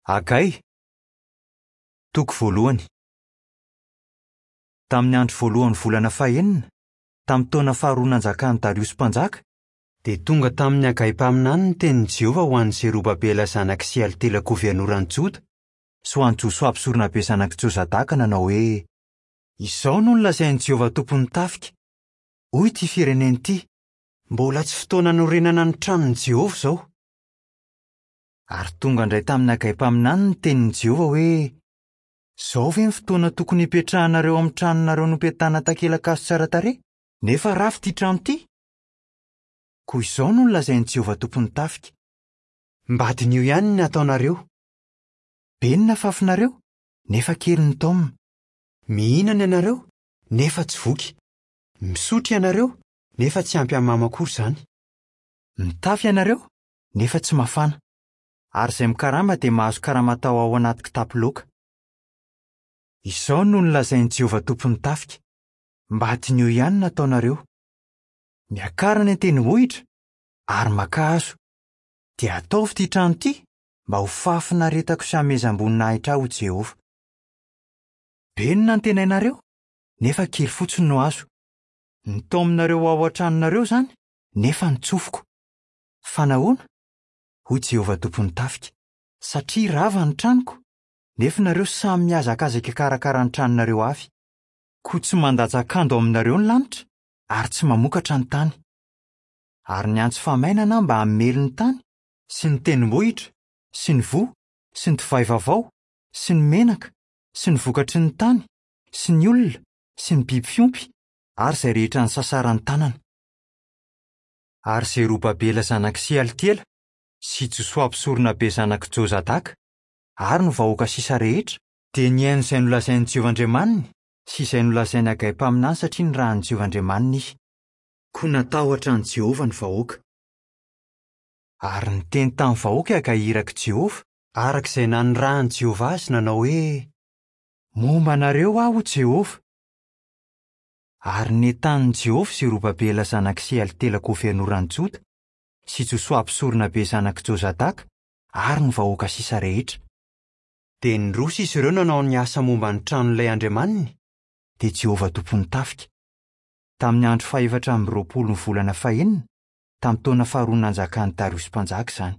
Hagay, toko voalohany. Tamin'ny andro voalohan'ny volana fahenina, tamin'ny taona faharoa nanjakan'i Dariosy mpanjaka, dia tonga tamin'i Hagay mpaminany ny tenin'i Jehovah ho an'i Zerobabela zanak'i Sealtiela governoran'i Joda sy ho an'i Josoa mpisoronabe zanak'i Jozadaka nanao hoe, Izao no nolazain'i Jehovah Tompon'ny tafika, 'Hoy ity firenena ity, Mbola tsy fotoana hanorenana ny tranon'i Jehovah izao. Ary tonga indray tamin'i Hagay mpaminany ny tenin'i Jehovah hoe, Izao ve ny fotoana tokony hipetrahanareo amin'ny tranonareo nopetahana takelakazo tsara tarehy, nefa rava ity trano ity? Koa izao no nolazain'i Jehovah Tompon'ny tafika, Mba diniho ihany ny nataonareo. Be ny nafafinareo, nefa kely ny taomina. Mihinana ianareo, nefa tsy voky. Misotro ianareo, nefa tsy ampy hamamo akory izany. Mitafy ianareo, nefa tsy mafana. Ary izay mikarama dia mahazo karama atao ao anaty kitapo loaka. Izao no nolazain'i Jehovah Tompon'ny tafika, Mba diniho ihany ny nataonareo. Miakara any an-tendrombohitra ary makà hazo, dia ataovy ity trano ity mba ho fahafinaretako sy hamehezam-boninahitra ahy ho Jehovah. Be ny nantenainareo, nefa kely fotsiny no azo. Nitaominareo ho ao an-tranonareo izany, nefa nitsofiko. Fa nahoana? Hoy Jehovah Tompon'ny tafika, Satria rava ny tranoko, nefa nareo samy mihazakazaka hikarakara ny tranonareo avy. Koa tsy mandatsa-kando aminareo ny lanitra, ary tsy mamokatra ny tany. Ary niantso famainana aho mba hamely ny tany, sy ny tendrombohitra, sy ny voa, sy ny divay vaovao, sy ny menaka, sy ny vokatry ny tany, sy ny olona, sy ny biby fiompy, ary izay rehetra nisasaran'ny tanana. Ary Zerobabela zanak'i Sealtiela, sy Josoa mpisoronabe zanak'i Jozadaka, ary ny vahoaka sisa rehetra, dia nihaino izay nolazain'i Jehovah Andriamaniny sy izay nolazain'i Hagay mpaminany satria nirahin'i Jehovah Andriamaniny izy. Koa natahotra an'i Jehovah ny vahoaka. Ary niteny tamin'ny vahoaka i Hagay irak'i Jehovah, araka izay nanirahan'i Jehovah azy, nanao hoe, Momba anareo aho, hoy Jehovah. Ary nentanin'i Jehovah Zerobabela zanak'i Sealtiela governoran'i Joda, sy Josoa mpisoronabe zanak'i Jozadaka, ary ny vahoaka sisa rehetra. Dia niroso izy ireo nanao ny asa momba ny tranon'ilay Andriamaniny, dia Jehovah Tompon'ny tafika. Tamin'ny andro fahefatra amby roapolon'ny volana fahenina, tamin'ny taona faharoa nanjakan'i Dariosy mpanjaka izany.